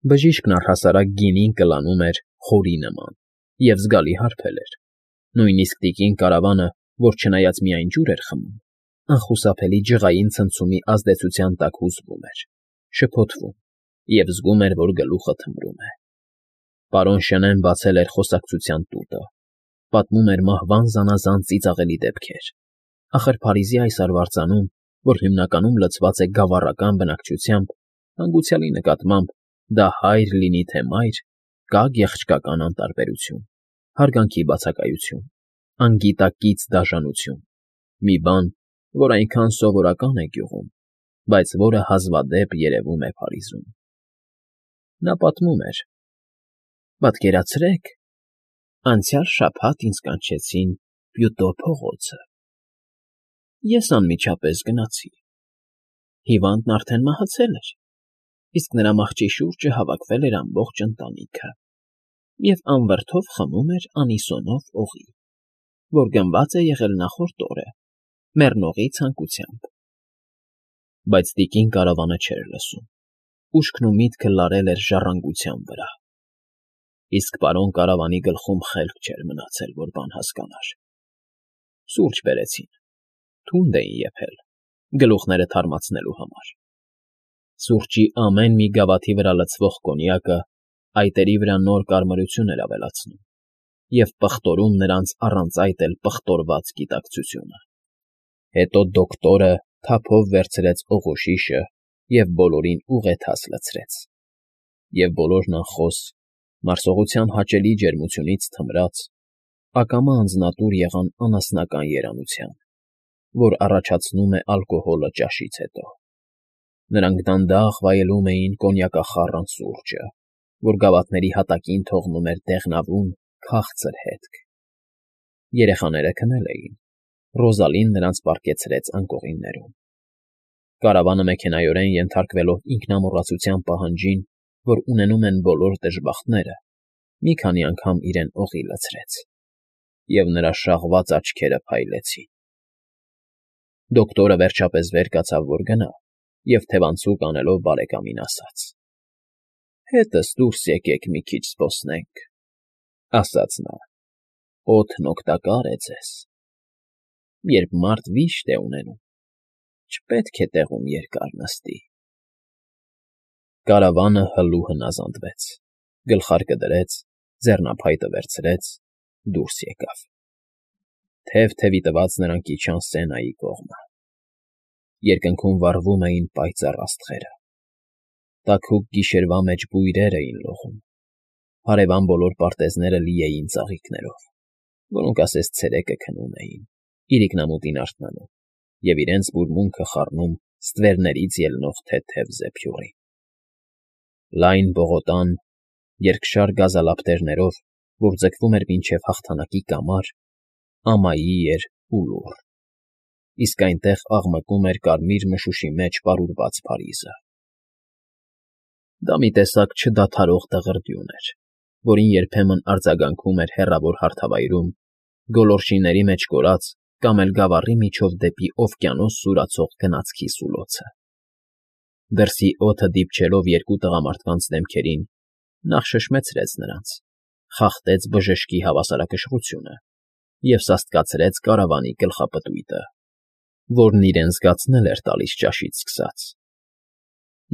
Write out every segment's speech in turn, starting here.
Բժիշկն առհասարակ գինին կլանում էր խորի նման և զգալի հարբել էր, նույնիսկ տիկին Կարավանը, որ չնայած միայն ջուր էր խմում, անխուսափելի ջղային ցնցումի ազդեցության տակ հուզվում էր, շփոթվում և զգում էր, որ գլուխը թմրում է։ Պարոն Շենեն բացել էր խոսակցության տուտը, պատմում էր մահվան զանազան ծիծաղելի դեպքեր, ախր Փարիզի այս արվարձանում, որ հիմնականում լցված է գավառական բնակչությամբ, հանգուցյալի նկատմամբ, դա հայր լինի թե մայր, կա գեղեցկական անտարբերություն, հարգանքի բացակայություն, անգիտակից դաժանություն, մի բան, որ այնքան սովորական է գյուղում, բայց որը հազվադեպ երևում է Փարիզում։ Նա պատմում էր. «Պատկերացրեք, անցյալ շաբաթ ինձ կանչեցին Պյուտո փողոցը։ Ես անմիջապես գնացի։ Հիվանդն արդեն մահացել էր, իսկ նրա մահճի շուրջը հավաքվել էր ամբողջ ընտանիքը և անվրդով խմում էր անիսոնով օղի, որ գնված է եղել նախորդ օրը մեռնողի ցանկությամբ»։ Բայց տիկին Կարավանը չէր լսում, ուշքն ու միտքը լարել էր ժառանգության վրա։ Իսկ պարոն Կարավանի գլխում խելք չէր մնացել, որ բան հասկանար։ Սուրճ բերեցին, թունդ էին եփել, գլուխները թարմացնելու համար։ Սուրճի ամեն մի գավաթի վրա լցվող կոնյակը այտերի վրա նոր կարմրություն էր ավելացնում և պղտորում նրանց առանց այդ էլ պղտորված գիտակցությունը։ Հետո դոկտորը թափով վերցրեց օղոշիշը և բոլորին ուղեթաց լցրեց։ Եվ բոլորն անխոս, մարսողության հաճելի ջերմությունից թմրած, ակամա անձնատուր եղան անասնական երանության, որ առաջացնում է ալկոհոլը ճաշից հետո։ Նրանք դանդաղ վայելում էին կոնյակախառն սուրճը, որ գավաթների հատակին թողնում էր դեղնավուն, քաղցր հետք։ Երեխաները քնել էին, Ռոզալին նրանց պառկեցրեց անկողիններում։ Կարավանը մեքենայորեն ենթարկվելով ինքնամոռացության պահանջին, որ ունենում են բոլոր դժբախտները, մի քանի անգամ իրեն օղի լցրեց, և նրա շաղված աչքերը փայլեցին։ Դոկտորը վերջապես վեր կացավ, որ գնա, և թևանցուկ անելով բարեկամին ասաց. «Հետս դուրս եկեք մի քիչ զբոսնենք», ֊ ասաց նա, «օդն օգտակար է ձեզ։ Երբ մարդ վիշտ է ունենում, չպետք է տեղում երկար նստի»։ Կարավանը հլու հնազանդվեց, գլխարկը դրեց, ձեռնափայտը վերցրեց, դուրս եկավ։ Թև-թևի տված նրանք իջան Սենայի կողմը։ Երկնքում վառվում էին պայծառ աստղերը։ Տաքուկ գիշերվա մեջ բույրեր էին լողում։ Հարևան բոլոր պարտեզները լի էին ծաղիկներով, որոնք ասես ցերեկը քնում էին, իրիկնամուտին արթնանում և իրենց բուրմունքը խառնում ստվերներից ելնող թեթև զեփյուռին։ Լայն պողոտան, երկշար գազալապտերներով, որ ձգվում էր մինչև հաղթանակի կամար, ամայի էր ու լուռ, իսկ այնտեղ աղմկում էր կարմիր մշուշի մեջ պարուրված Փարիզը։ Դա մի տեսակ չդադարող դղրդյուն էր, որին երբեմն արձագանքում էր հեռավոր հարթավայրում, գոլորշիների մեջ կորած կամ էլ գավառի միջով դեպի օվկիանոս սուրացող գնացքի սուլոցը։ Դրսի օդը դիպչելով երկու տղամարդկանց դեմքերին, նախ շշմեցրեց նրանց, խախտեց բժշկի հավասարակշռությունը և սաստկացրեց կարավանի գլխապտույտը, որն իրեն զգացնել էր տալիս ճաշից սկսած։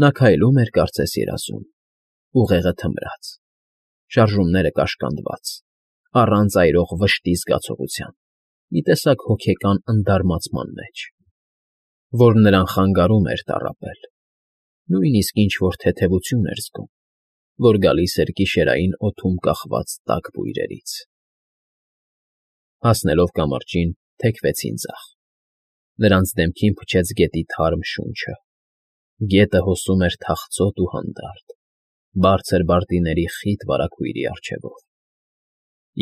Նա քայլում էր կարծես երազում, ուղեղը թմրած, շարժումները կաշկանդված, առանց այրող վշտի զգացողության, մի տեսակ հոգեկան ընդարմացման մեջ, որ նրան խանգարում էր տառապել, նույնիսկ ինչ֊որ թեթևություն էր զգում, որ գալիս էր գիշերային օդում կախված տաք բույրերից։ Հասնելով կամրջին, թեքվեցին ձախ։ Նրանց դեմքին փչեց գետի թարմ շունչը։ Գետը հոսում էր թախծոտ ու հանդարտ, բարձր բարտիների խիտ վարագույրի առջևով,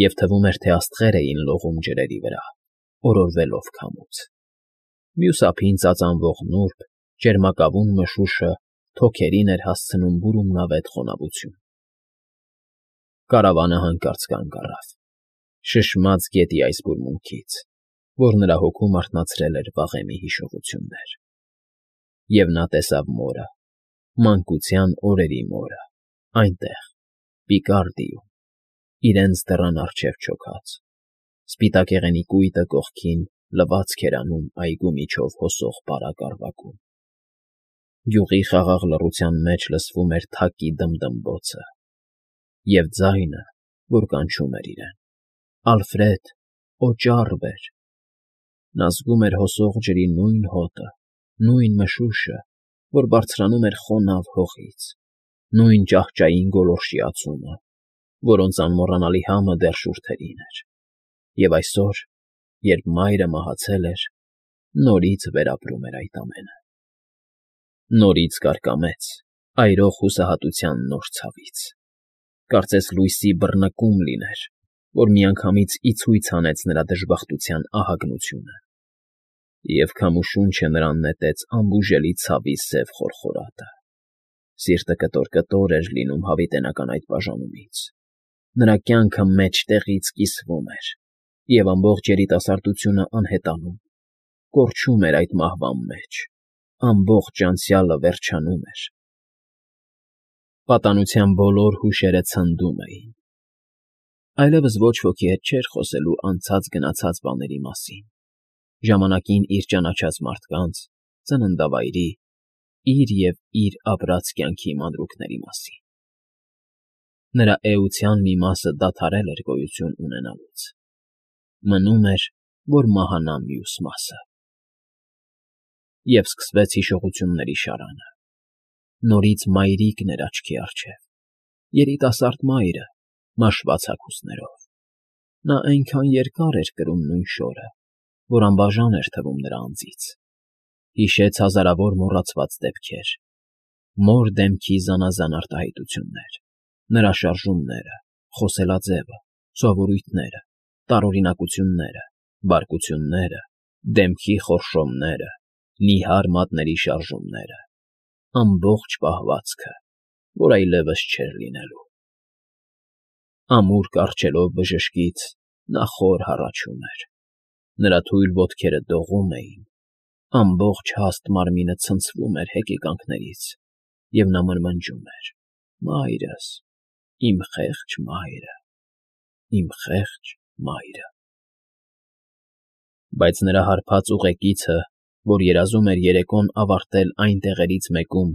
և թվում էր, թե աստղեր էին լողում ջրերի վրա, օրորվելով քամուց։ Մյուս ափին ծածանվող նուրբ, ճերմակավուն մշուշը թոքերին էր հասցնում բուրումնավետ խոնավություն։ Կարավանը հանկարծ կանգ առավ, շշմած գետի այս բուրմունքից, որ նրա հոգում արթնացրել էր վաղեմի հիշողություններ։ Եվ նա տեսավ մորը, մանկության օրերի մորը, Այնտեղ, Պիկարդիում, իրենց դռան առջև չոքած, սպիտակեղենի կույտը կողքին լվացք էր անում այգու միջով հոսող պարագարվակում։ Գյուղի խաղաղ լռության մեջ լսվում էր թակի դմդմբոցը և ձայնը, որ կանչում էր իրեն. «Ալֆրեդ, օճառ բեր»։ Նա զգում էր հոսող ջրի նույն հոտը, նույն մշուշը, որ բարձրանում էր խոնավ հողից, նույն ճահճային գոլորշի ածումը, որոնց անմոռանալի համը դեռ շուրթերին էր։ Եվ այսօր, երբ մայրը մահացել էր, նորից վերապրում էր այդ ամենը։ Նորից կարկամեց այրող հուսահատության նոր ցավից։ Կարծես լույսի բռնկում լիներ, որ միանգամից ի ցույց հանեց նրա դժբախտության ահագնությունը։ Եվ քամու շունչը նրան նետեց անբուժելի ցավի սև խորխորատը։ Սիրտը կտոր-կտոր էր լինում հավիտենական այդ բաժանումից։ Նրա կյանքը մեջտեղից կիսվում էր, և ամբողջ երիտասարդությունը անհետանում, կորչում էր այդ մահվան մեջ, ամբողջ անցյալը վերջանում էր։ Պատանության բոլոր հուշերը ցնդում էին։ Այլևս ոչ ոքի հետ չէր խոսելու անցած֊գնացած բաների մասին, ժամանակին իր ճանաչած մարդկանց, ծննդավայրի, իր և իր ապրած կյանքի մանրուքների մասին։ Նրա էության մի մասը դադարել էր գոյություն ունենալուց։ Մնում էր, որ մահանա մյուս մասը։ Եվ սկսվեց հիշողությունների շարանը։ Նորից մայրիկն էր աչքի առջև, երիտասարդ մայրը, մաշված հագուստներով։ Նա այնքան երկար էր կրում նույն շորը, որ անբաժան էր թվում նրա անձից։ Հիշեց հազարավոր մոռացված դեպքեր, մոր դեմքի զանազան արտահայտություններ, նրա շարժումները, խոսելաձևը, սովորույթները, տարօրինակությունները, բարկությունները, դեմքի խորշոմները, նիհար մատների շարժումները, ամբողջ պահվածքը, որ այլևս չէր լինելու։ Ամուր կառչելով բժշկից, նա խոր հառաչում էր։ Նրա թույլ ոտքերը դողում էին, ամբողջ հաստ մարմինը ցնցվում էր հեկեկանքներից, և նա մրմնջում էր. «Մայրս, իմ խեղճ մայրը, իմ խեղճ մայրը»։ Բայց նրա հարբած ուղեկիցը, որ երազում էր երեկոն ավարտել այն տեղերից մեկում,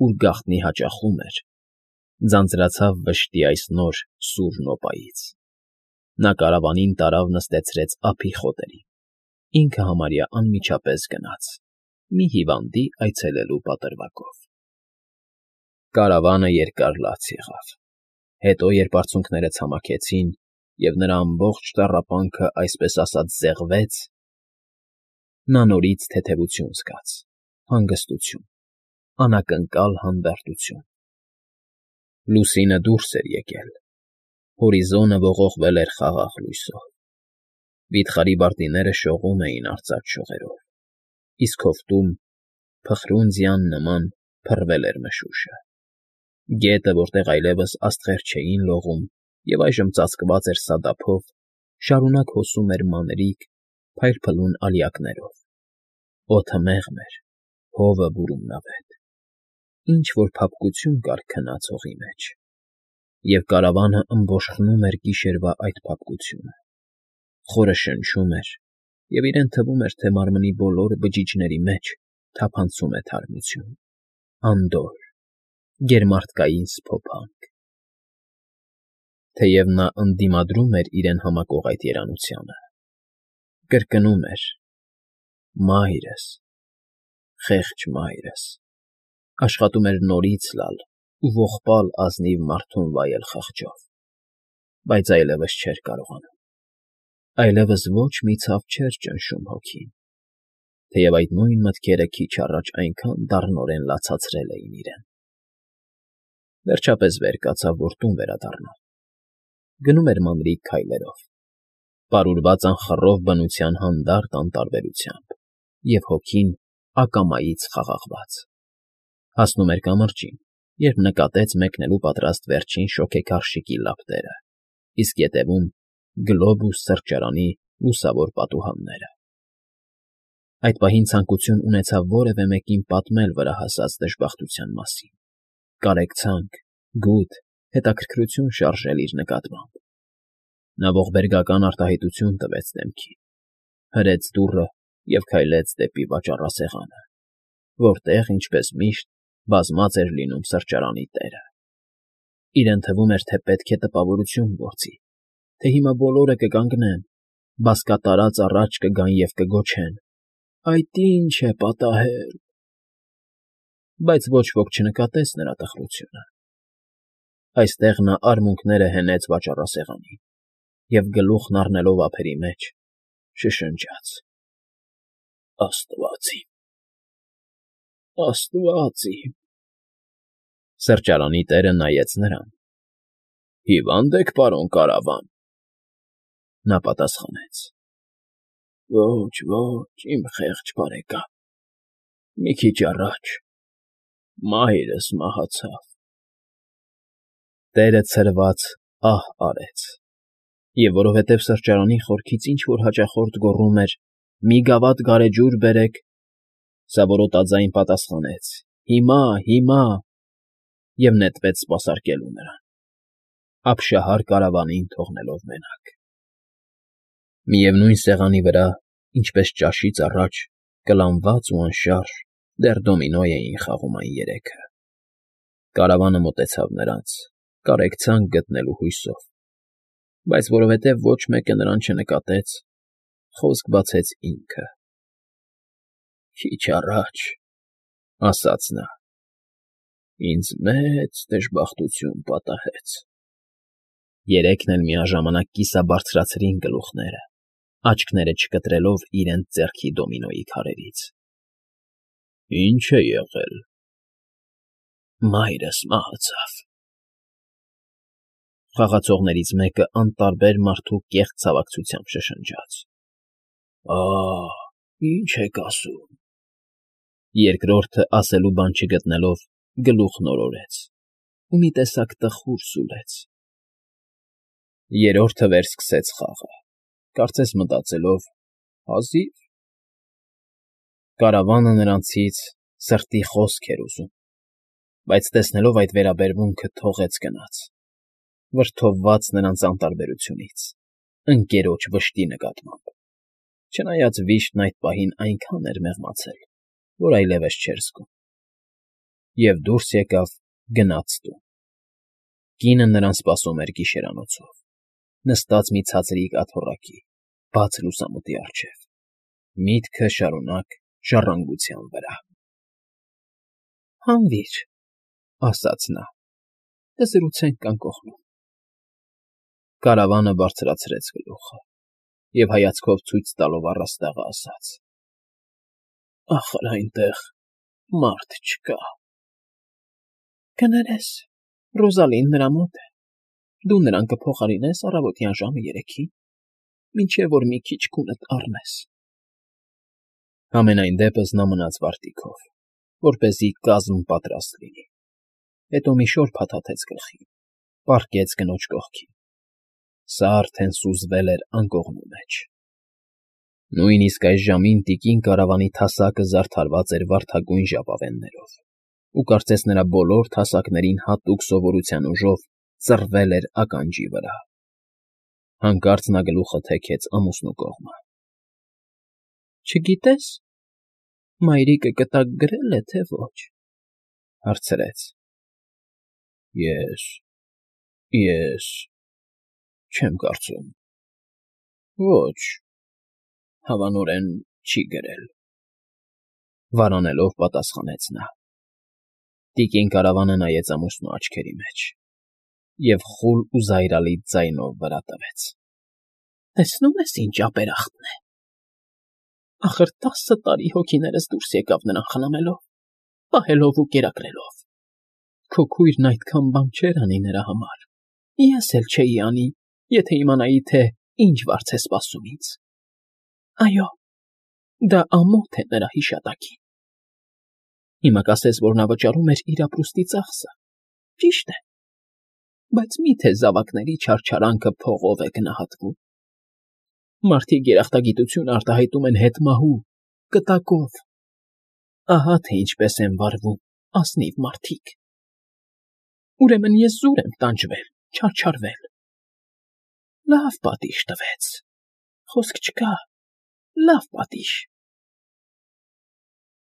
ուր գաղտնի հաճախում էր, ձանձրացավ վշտի այս նոր սուր նոպայից։ Նա կարավանին տարավ նստեցրեց ափի խոտերին, ինքը համարյա անմիջապես գնաց, մի հիվանդի այցելելու պատրվակով։ Կարավանը երկար լաց եղավ։ Հետո, երբ արցունքները ցամաքեցին, և նրա ամբողջ տառապանքը այսպես ասած զեղվեց, նա նորից թեթևություն զգաց, հանգստություն, անակնկալ հանդարտություն։ Լուսինը դուրս էր եկել, հորիզոնը ողողվել էր խաղաղ լույսով։ Վիթխարի բարտիները շողում էին արծաթ շողերով, իսկ հովտում, փխրուն նման, փռվել էր մշուշը։ Գետը, որտեղ այլևս աստղեր չէին լողում և այժմ ծածկված էր սադափով, շարունակ հոսում էր մանրիկ, փայլփլուն ալյակներով։ Օդը մեղմ էր, հովը բուրումնավետ։ Ինչ֊որ փափկություն կար քնած հողի մեջ, և կարավանը ըմբոշխնում էր գիշերվա այդ փափկությունը։ Խորը շնչում էր, և իրեն թվում էր, թե մարմնի բոլոր բջիջների մեջ թափանցում է թարմություն, անդորր, գերմարդկային սփոփանք։ Թեև նա ընդդիմադրում էր իրեն համակող այդ երանությանը, կրկնում էր. «Մայրս, խեղճ մայրս», աշխատում էր նորից լալ ու ողբալ ազնիվ մարդուն վայել խղճով, բայց այլևս չէր կարողանում։ Այլևս ոչ մի ցավ չէր ճնշում հոգին, թեև այդ նույն մտքերը քիչ առաջ այնքան դառնորեն լացացրել էին իրեն։ Վերջապես վեր կացավ, որ տուն վերադառնա։ Գնում էր մանրիկ քայլերով, պարուրված անխռով բնության հանդարտ անտարբերությամբ, և հոգին ակամայից խաղաղված։ Հասնում էր կամրջին, երբ նկատեց մեկնելու պատրաստ վերջին շոգեքարշիկի լապտերը, իսկ ետևում Գլոբուս սրճարանի լուսավոր պատուհանները։ Այդ պահին ցանկություն ունեցավ որևէ մեկին պատմել վրա հասած դժբախտության մասին, կարեկցանք, գութ, հետաքրքրություն շարժել իր նկատմամբ։ Նա ողբերգական արտահայտություն տվեց դեմքին, հրեց դուռը և քայլեց դեպի վաճառասեղանը, որտեղ, ինչպես միշտ, բազմած էր լինում սրճարանի տերը։ Իրեն թվում էր, թե պետք է տպավորություն գործի, թե հիմա բոլորը կկանգնեն, բազկատարած առաջ կգան և կգոչեն. «Այդ ի՞նչ է պատահել»։ Բայց ոչ ոք չնկատեց նրա տխրությունը։ Այստեղ նա արմունկները հենեց վաճառասեղանին և գլուխն առնելով ափերի մեջ շշնջաց. «Աստված իմ, Աստված իմ»։ Սրճարանի տերը նայեց նրան։ «Հիվա՞նդ եք, պարոն կարավան»։ Նա պատասխանեց. «Ոչ, ոչ, իմ խեղճ բարեկամ, մի քիչ առաջ մայրս մահացավ»։ Տերը ցրված ահ արեց, և որովհետև սրճարանի խորքից ինչ֊որ հաճախորդ գոռում էր. «Մի գավաթ գարեջուր բերեք», սա որոտաձայն պատասխանեց. «Հիմա, հիմա» և նետվեց սպասարկելու նրան, ապշահար կարավանին թողնելով մենակ։ Միևնույն սեղանի վրա, ինչպես ճաշից առաջ, կլանված ու անշարժ, դեռ դոմինո էին խաղում այն երեքը։ Կարավանը մոտեցավ նրանց, կարեկցանք գտնելու հույսով, բայց որովհետև ոչ մեկը նրան չնկատեց, խոսք բացեց ինքը։ «Քիչ առաջ,» ասաց նա, «ինձ մեծ դժբախտություն պատահեց»։ Երեքն էլ միաժամանակ կիսաբարձրացրին գլուխները, աչքները չկտրելով իրենց ձեռքի դոմինոյի քարերից։ «Ի՞նչ է եղել»։ «Մայրս մահացավ»։ Խաղացողներից մեկը անտարբեր մարդու կեղծ ցավակցությամբ շշնջաց. «Ահ, ի՞նչ եք ասում»։ Երկրորդը, ասելու բան չգտնելով, գլուխն օրորեց ու մի տեսակ տխուր սուլեց։ Երրորդը վերսկսեց խաղը, կարծես մտածելով. «Հազիվ»։ Կարավանը նրանցից սրտի խոսք էր ուզում, բայց տեսնելով այդ վերաբերմունքը թողեց գնաց, վրդովված նրանց անտարբերությունից, ընկերոջ վշտի նկատմամբ, չնայած վիշտն այդ պահին այնքան էր մեղմացել, որ այլևս չէր զգում։ Եվ դուրս եկավ, գնաց տուն։ Կինը նրան սպասում էր գիշերանոցով, նստած մի ցածրիկ աթոռակի, բաց լուսամուտի առջև, միտքը շարունակ ժառանգության վրա։ «Հանվի՛ր», ասաց նա, «կզրուցենք անկողնում»։ Կարավանը բարձրացրեց գլուխը և հայացքով ցույց տալով առաստաղը ասաց. «Ախր այնտեղ մարդ չկա»։ «Կներես, Ռոզալին նրա մոտ է, դու նրան կփոխարինես առավոտյան ժամը 3-ին, մինչև որ մի քիչ քունդ առնես»։ Համենայն դեպս նա մնաց վարտիքով, որպեսզի կազմ պատրաստ լինի, հետո մի շոր փաթաթեց գլխին, պառկեց կնոջ կողքին։ Սա արդեն սուզվել էր անկողնու մեջ։ Նույնիսկ այս ժամին տիկին կարավանի թասակը զարդարված էր վարդագույն ժապավեններով, ու կարծես նրա բոլոր թասակներին հատուկ սովորության ուժով ծռվել էր ականջի վրա։ Հանկարծ նա գլուխը թեքեց ամուսնու կողմը։ «Չգիտես, մայրիկը կտակ գրել է, թե ոչ»։ Հարցրեց։ Ես չեմ կարծում։ Ոչ, հավանորեն չի գրել, վարանելով պատասխանեց նա։ Տիկին կարավանը նայեց ամուսնու աչքերի մեջ և խուլ ու զայրալի ձայնով վրա տվեց. «Տեսնում ես ինչ ապերախտն է։ Ախր 10 տարի հոգիներս դուրս եկավ նրան խնամելով, պահելով ու կերակրելով։ Քո քույրն այդքան բան չէր անի նրա համար, ես էլ չէի անի, եթե իմանայի, թե ինչ վարձ է սպասում ինձ։ Այո, դա ամոթ է նրա հիշատակին։ Հիմա կասես, որ նա վճարում էր իր ապրուստի ծախսը, ճիշտ է, բայց մի՞թե զավակների չարչարանքը փողով է գնահատվում։ Մարդիկ երախտագիտություն արտահայտում են հետմահու, կտակով։ Ահա թե ինչպես են վարվում ազնիվ մարդիկ»։ Ուրեմն ես զուր եմ տանջվել, չարչարվել… Լավ պատիժ տվեց, խոսք չկա, լավ պատիժ։